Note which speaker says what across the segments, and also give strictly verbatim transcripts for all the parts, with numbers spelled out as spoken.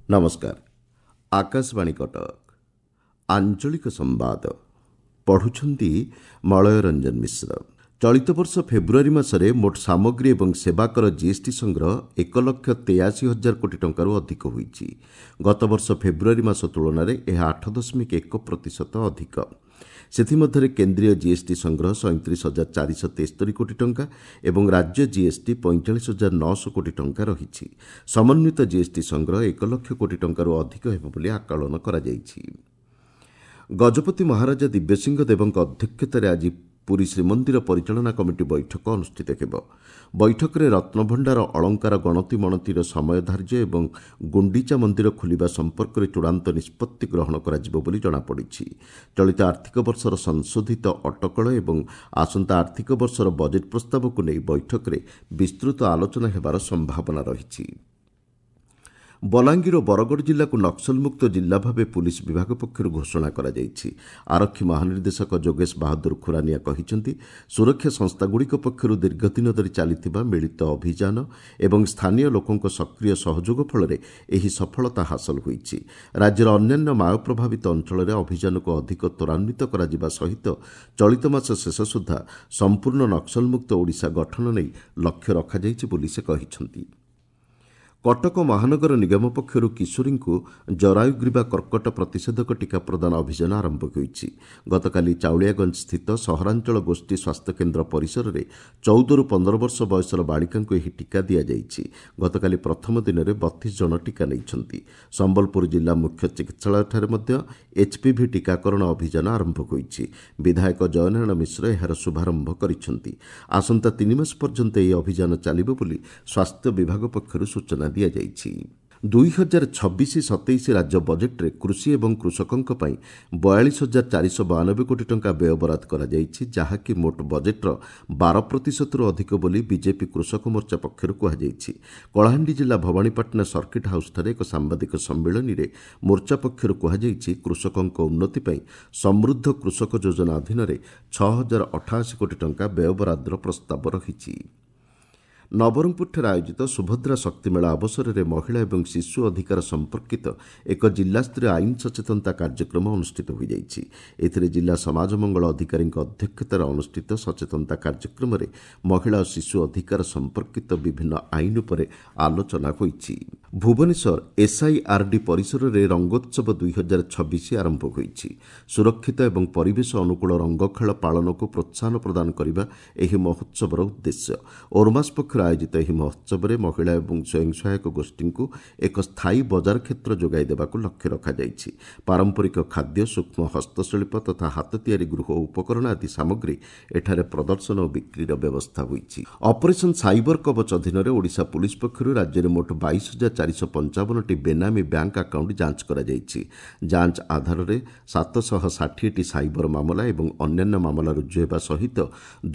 Speaker 1: ନମସ୍କାର ଆକାଶବାଣୀ କଟକ ଆଞ୍ଚଳିକ ସମ୍ବାଦ ପଢୁଛନ୍ତି ମଳୟ ରଞ୍ଜନ ମିଶ୍ର ଚଳିତ ବର୍ଷ ଫେବୃଆରୀ ମାସରେ ମୋଟ ସାମଗ୍ରୀ ଏବଂ ସେବା କର ଜିଏସ୍ଟି ସଂଗ୍ରହ ଏକ ଲକ୍ଷ ତେୟାଅଶୀ ହଜାର କୋଟି ଟଙ୍କାରୁ ଅଧିକ ହୋଇଛି ଗତବର୍ଷ ଫେବୃଆରୀ ମାସ ତୁଳନାରେ ଏହା ଆଠ ଦଶମିକ ଏକ ପ୍ରତିଶତ ଅଧିକ ସେଥିମଧ୍ୟରେ କେନ୍ଦ୍ରୀୟ ଜିଏସ୍ଟି ସଂଗ୍ରହ ସଇଁତିରିଶ ହଜାର ଚାରିଶହ ତେସ୍ତରୀ କୋଟି ଟଙ୍କା ଏବଂ ରାଜ୍ୟ ଜିଏସ୍ଟି ପଇଁଚାଳିଶ ହଜାର ନଅଶହ କୋଟି ଟଙ୍କା ରହିଛି ସମନ୍ୱିତ ଜିଏସ୍ଟି ସଂଗ୍ରହ ଏକ ଲକ୍ଷ କୋଟି ଟଙ୍କାରୁ ଅଧିକ ହେବ ବୋଲି ଆକଳନ କରାଯାଇଛି ଗଜପତି ମହାରାଜା ଦିବ୍ୟସିଂହ ଦେବଙ୍କ ଅଧ୍ୟକ୍ଷତାରେ ଆଜି ପୁରୀ ଶ୍ରୀମନ୍ଦିର ପରିଚାଳନା କମିଟି ବୈଠକ ଅନୁଷ୍ଠିତ ହେବ ବୈଠକରେ ରତ୍ନଭଣ୍ଡାର ଅଳଙ୍କାର ଗଣତି ମଣତିର ସମୟ ଧାର୍ଯ୍ୟ ଏବଂ ଗୁଣ୍ଡିଚା ମନ୍ଦିର ଖୋଲିବା ସମ୍ପର୍କରେ ଚୂଡ଼ାନ୍ତ ନିଷ୍ପତ୍ତି ଗ୍ରହଣ କରାଯିବ ବୋଲି ଜଣାପଡ଼ିଛି ଚଳିତ ଆର୍ଥିକ ବର୍ଷର ସଂଶୋଧିତ ଅଟକଳ ଏବଂ ଆସନ୍ତା ଆର୍ଥିକ ବର୍ଷର ବଜେଟ୍ ପ୍ରସ୍ତାବକୁ ନେଇ ବୈଠକରେ ବିସ୍ତୃତ ଆଲୋଚନା ହେବାର ସମ୍ଭାବନା ରହିଛି ବଲାଙ୍ଗୀର ଓ ବରଗଡ଼ ଜିଲ୍ଲାକୁ ନକ୍ସଲମୁକ୍ତ ଜିଲ୍ଲା ଭାବେ ପୁଲିସ୍ ବିଭାଗ ପକ୍ଷରୁ ଘୋଷଣା କରାଯାଇଛି ଆରକ୍ଷୀ ମହାନିର୍ଦ୍ଦେଶକ ଯୋଗେଶ ବାହାଦୁର ଖୁରାନିଆ କହିଛନ୍ତି ସୁରକ୍ଷା ସଂସ୍ଥାଗୁଡ଼ିକ ପକ୍ଷରୁ ଦୀର୍ଘଦିନ ଧରି ଚାଲିଥିବା ମିଳିତ ଅଭିଯାନ ଏବଂ ସ୍ଥାନୀୟ ଲୋକଙ୍କ ସକ୍ରିୟ ସହଯୋଗ ଫଳରେ ଏହି ସଫଳତା ହାସଲ ହୋଇଛି ରାଜ୍ୟର ଅନ୍ୟାନ୍ୟ ମାଓ ପ୍ରଭାବିତ ଅଞ୍ଚଳରେ ଅଭିଯାନକୁ ଅଧିକ ତ୍ୱରାନ୍ୱିତ କରାଯିବା ସହିତ ଚଳିତ ମାସ ଶେଷ ସୁଦ୍ଧା ସମ୍ପୂର୍ଣ୍ଣ ନକ୍ସଲମୁକ୍ତ ଓଡ଼ିଶା ଗଠନ ନେଇ ଲକ୍ଷ୍ୟ ରଖାଯାଇଛି ବୋଲି ସେ କହିଛନ୍ତି କଟକ ମହାନଗର ନିଗମ ପକ୍ଷରୁ କିଶୋରୀଙ୍କୁ ଜରାୟୁଗ୍ରୀବା କର୍କଟ ପ୍ରତିଷେଧକ ଟିକା ପ୍ରଦାନ ଅଭିଯାନ ଆରମ୍ଭ ହୋଇଛି ଗତକାଲି ଚାଉଳିଆଗଞ୍ଜ ସ୍ଥିତ ସହରାଞ୍ଚଳ ଗୋଷ୍ଠୀ ସ୍ୱାସ୍ଥ୍ୟକେନ୍ଦ୍ର ପରିସରରେ ଚଉଦରୁ ପନ୍ଦର ବର୍ଷ ବୟସର ବାଳିକାଙ୍କୁ ଏହି ଟିକା ଦିଆଯାଇଛି ଗତକାଲି ପ୍ରଥମ ଦିନରେ ବତିଶ ଜଣ ଟିକା ନେଇଛନ୍ତି ସମ୍ବଲପୁର ଜିଲ୍ଲା ମୁଖ୍ୟ ଚିକିତ୍ସାଳୟଠାରେ ମଧ୍ୟ ଏଚ୍ପିଭି ଟିକାକରଣ ଅଭିଯାନ ଆରମ୍ଭ ହୋଇଛି ବିଧାୟକ ଜୟନାରାୟଣ ମିଶ୍ର ଏହାର ଶୁଭାରମ୍ଭ କରିଛନ୍ତି ଆସନ୍ତା ତିନି ମାସ ପର୍ଯ୍ୟନ୍ତ ଏହି ଅଭିଯାନ ଚାଲିବ ବୋଲି ସ୍ୱାସ୍ଥ୍ୟ ବିଭାଗ ପକ୍ଷରୁ ସୂଚନା ଦିଆଯାଇଛି ଦୁଇ ହଜାର ଛବିଶ ସତେଇଶ ରାଜ୍ୟ ବଜେଟ୍ରେ କୃଷି ଏବଂ କୃଷକଙ୍କ ପାଇଁ ବୟାଳିଶ ହଜାର ଚାରିଶହ ବୟାନବେ କୋଟି ଟଙ୍କା ବ୍ୟୟବରାଦ କରାଯାଇଛି ଯାହାକି ମୋଟ ବଜେଟ୍ର ବାର ପ୍ରତିଶତରୁ ଅଧିକ ବୋଲି ବିଜେପି କୃଷକ ମୋର୍ଚ୍ଚା ପକ୍ଷରୁ କୁହାଯାଇଛି କଳାହାଣ୍ଡି ଜିଲ୍ଲା ଭବାନୀପାଟଣା ସର୍କିଟ୍ ହାଉସ୍ଠାରେ ଏକ ସାମ୍ବାଦିକ ସମ୍ମିଳନୀରେ ମୋର୍ଚ୍ଚା ପକ୍ଷରୁ କୁହାଯାଇଛି କୃଷକଙ୍କ ଉନ୍ନତି ପାଇଁ ସମୃଦ୍ଧ କୃଷକ ଯୋଜନା ଅଧୀନରେ ଛଅ ହଜାର ଅଠାଅଶୀ କୋଟି ଟଙ୍କା ବ୍ୟୟବରାଦର ପ୍ରସ୍ତାବ ରହିଛି ନବରଙ୍ଗପୁରଠାରେ ଆୟୋଜିତ ସୁଭଦ୍ରା ଶକ୍ତି ମେଳା ଅବସରରେ ମହିଳା ଏବଂ ଶିଶୁ ଅଧିକାର ସମ୍ପର୍କିତ ଏକ ଜିଲ୍ଲାସ୍ତରୀୟ ଆଇନ ସଚେତନତା କାର୍ଯ୍ୟକ୍ରମ ଅନୁଷ୍ଠିତ ହୋଇଯାଇଛି ଏଥିରେ ଜିଲ୍ଲା ସମାଜ ମଙ୍ଗଳ ଅଧିକାରୀଙ୍କ ଅଧ୍ୟକ୍ଷତାରେ ଅନୁଷ୍ଠିତ ସଚେତନତା କାର୍ଯ୍ୟକ୍ରମରେ ମହିଳା ଓ ଶିଶୁ ଅଧିକାର ସମ୍ପର୍କିତ ବିଭିନ୍ନ ଆଇନ ଉପରେ ଆଲୋଚନା ହୋଇଛି ଭୁବନେଶ୍ୱର ଏସ୍ଆଇଆର୍ଡି ପରିସରରେ ରଙ୍ଗୋତ୍ସବ ଦୁଇ ହଜାର ଛବିଶ ଆରମ୍ଭ ହୋଇଛି ସୁରକ୍ଷିତ ଏବଂ ପରିବେଶ ଅନୁକୂଳ ରଙ୍ଗଖେଳ ପାଳନକୁ ପ୍ରୋତ୍ସାହନ ପ୍ରଦାନ କରିବା ଏହି ମହୋତ୍ସବର ଉଦ୍ଦେଶ୍ୟ ଓରମାସ୍ ପକ୍ଷରୁ ଆୟୋଜିତ ଏହି ମହୋତ୍ସବରେ ମହିଳା ଏବଂ ସ୍ୱୟଂ ସହାୟକ ଗୋଷ୍ଠୀଙ୍କୁ ଏକ ସ୍ଥାୟୀ ବଜାର କ୍ଷେତ୍ର ଯୋଗାଇ ଦେବାକୁ ଲକ୍ଷ୍ୟ ରଖାଯାଇଛି ପାରମ୍ପରିକ ଖାଦ୍ୟ ସୂକ୍ଷ୍ମ ହସ୍ତଶିଳ୍ପ ତଥା ହାତ ତିଆରି ଗୃହ ଉପକରଣ ଆଦି ସାମଗ୍ରୀ ଏଠାରେ ପ୍ରଦର୍ଶନ ଓ ବିକ୍ରିର ବ୍ୟବସ୍ଥା ହୋଇଛି ଅପରେସନ୍ ସାଇବର କବଚ ଅଧୀନରେ ଓଡ଼ିଶା ପୁଲିସ୍ ପକ୍ଷରୁ ରାଜ୍ୟରେ ମୋଟ ବାଇଶ ହଜାର ଚାରିଶହ ପଞ୍ଚାବନଟି ବେନାମୀ ବ୍ୟାଙ୍କ ଆକାଉଣ୍ଟ ଯାଞ୍ଚ କରାଯାଇଛି ଯାଞ୍ଚ ଆଧାରରେ ସାତଶହ ଷାଠିଏଟି ସାଇବର ମାମଲା ଏବଂ ଅନ୍ୟାନ୍ୟ ମାମଲା ରୁଜୁ ହେବା ସହିତ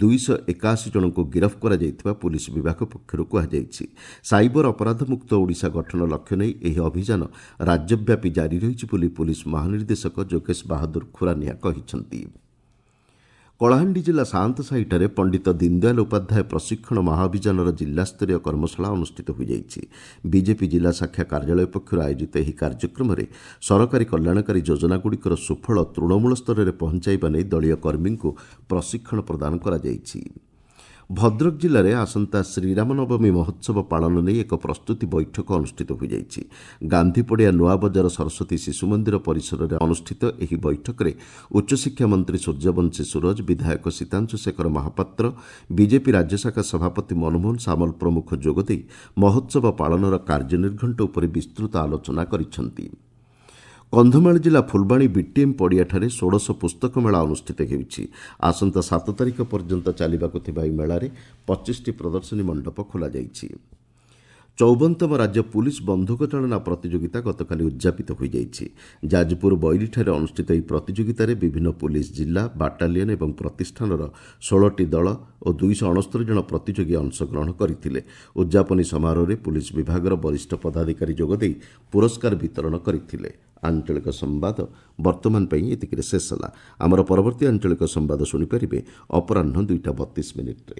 Speaker 1: ଦୁଇଶହ ଏକାଅଶୀ ଜଣଙ୍କୁ ଗିରଫ କରାଯାଇଥିବା ପୁଲିସ୍ ବିଭାଗ ପକ୍ଷରୁ କୁହାଯାଇଛି ସାଇବର ଅପରାଧମୁକ୍ତ ଓଡ଼ିଶା ଗଠନ ଲକ୍ଷ୍ୟ ନେଇ ଏହି ଅଭିଯାନ ରାଜ୍ୟବ୍ୟାପୀ ଜାରି ରହିଛି ବୋଲି ପୁଲିସ୍ ମହାନିର୍ଦ୍ଦେଶକ ଯୋଗେଶ ବାହାଦୁର ଖୁରାନିଆ କହିଛନ୍ତି କଳାହାଣ୍ଡି ଜିଲ୍ଲା ସାଆନ୍ତସାହିଠାରେ ପଣ୍ଡିତ ଦୀନଦୟାଲ ଉପାଧ୍ୟାୟ ପ୍ରଶିକ୍ଷଣ ମହାଅଭିଯାନର ଜିଲ୍ଲାସ୍ତରୀୟ କର୍ମଶାଳା ଅନୁଷ୍ଠିତ ହୋଇଯାଇଛି ବିଜେପି ଜିଲ୍ଲା ଶାଖା କାର୍ଯ୍ୟାଳୟ ପକ୍ଷରୁ ଆୟୋଜିତ ଏହି କାର୍ଯ୍ୟକ୍ରମରେ ସରକାରୀ କଲ୍ୟାଣକାରୀ ଯୋଜନାଗୁଡ଼ିକର ସୁଫଳ ତୃଣମୂଳ ସ୍ତରରେ ପହଞ୍ଚାଇବା ନେଇ ଦଳୀୟ କର୍ମୀଙ୍କୁ ପ୍ରଶିକ୍ଷଣ ପ୍ରଦାନ କରାଯାଇଛି ଭଦ୍ରକ ଜିଲ୍ଲାରେ ଆସନ୍ତା ଶ୍ରୀରାମନବମୀ ମହୋତ୍ସବ ପାଳନ ନେଇ ଏକ ପ୍ରସ୍ତୁତି ବୈଠକ ଅନୁଷ୍ଠିତ ହୋଇଯାଇଛି ଗାନ୍ଧୀପଡ଼ିଆ ନୂଆବଜାର ସରସ୍ୱତୀ ଶିଶୁ ମନ୍ଦିର ପରିସରରେ ଅନୁଷ୍ଠିତ ଏହି ବୈଠକରେ ଉଚ୍ଚଶିକ୍ଷା ମନ୍ତ୍ରୀ ସୂର୍ଯ୍ୟବଂଶୀ ସୂରଜ ବିଧାୟକ ସୀତାଂଶୁ ଶେଖର ମହାପାତ୍ର ବିଜେପି ରାଜ୍ୟଶାଖା ସଭାପତି ମନମୋହନ ସାମଲ ପ୍ରମୁଖ ଯୋଗଦେଇ ମହୋତ୍ସବ ପାଳନର କାର୍ଯ୍ୟନିର୍ଘଣ୍ଟ ଉପରେ ବିସ୍ତୃତ ଆଲୋଚନା କରିଛନ୍ତି କନ୍ଧମାଳ ଜିଲ୍ଲା ଫୁଲବାଣୀ ବିଟିଏମ୍ ପଡ଼ିଆଠାରେ ଷୋଡ଼ଶ ପୁସ୍ତକ ମେଳା ଅନୁଷ୍ଠିତ ହେଉଛି ଆସନ୍ତା ସାତ ତାରିଖ ପର୍ଯ୍ୟନ୍ତ ଚାଲିବାକୁ ଥିବା ଏହି ମେଳାରେ ପଚିଶଟି ପ୍ରଦର୍ଶନୀ ମଣ୍ଡପ ଖୋଲାଯାଇଛି ଚଉବନତମ ରାଜ୍ୟ ପୁଲିସ୍ ବନ୍ଧୁକ ଚାଳନା ପ୍ରତିଯୋଗିତା ଗତକାଲି ଉଦ୍ଯାପିତ ହୋଇଯାଇଛି ଯାଜପୁର ବୈରୀଠାରେ ଅନୁଷ୍ଠିତ ଏହି ପ୍ରତିଯୋଗିତାରେ ବିଭିନ୍ନ ପୁଲିସ୍ ଜିଲ୍ଲା ବାଟାଲିୟନ୍ ଏବଂ ପ୍ରତିଷ୍ଠାନର ଷୋହଳଟି ଦଳ ଓ ଦୁଇଶହ ଅଣସ୍ତରୀ ଜଣ ପ୍ରତିଯୋଗୀ ଅଂଶଗ୍ରହଣ କରିଥିଲେ ଉଦ୍ଯାପନୀ ସମାରୋହରେ ପୁଲିସ୍ ବିଭାଗର ବରିଷ୍ଠ ପଦାଧିକାରୀ ଯୋଗଦେଇ ପୁରସ୍କାର ବିତରଣ କରିଥିଲେ ଆଞ୍ଚଳିକ ସମ୍ବାଦ ବର୍ତ୍ତମାନ ପାଇଁ ଏତିକିରେ ଶେଷ ହେଲା। ଆମର ପରବର୍ତ୍ତୀ ଆଞ୍ଚଳିକ ସମ୍ବାଦ ଶୁଣିପାରିବେ ଅପରାହ୍ନ ଦୁଇଟା ବତିଶ ମିନିଟ୍ରେ।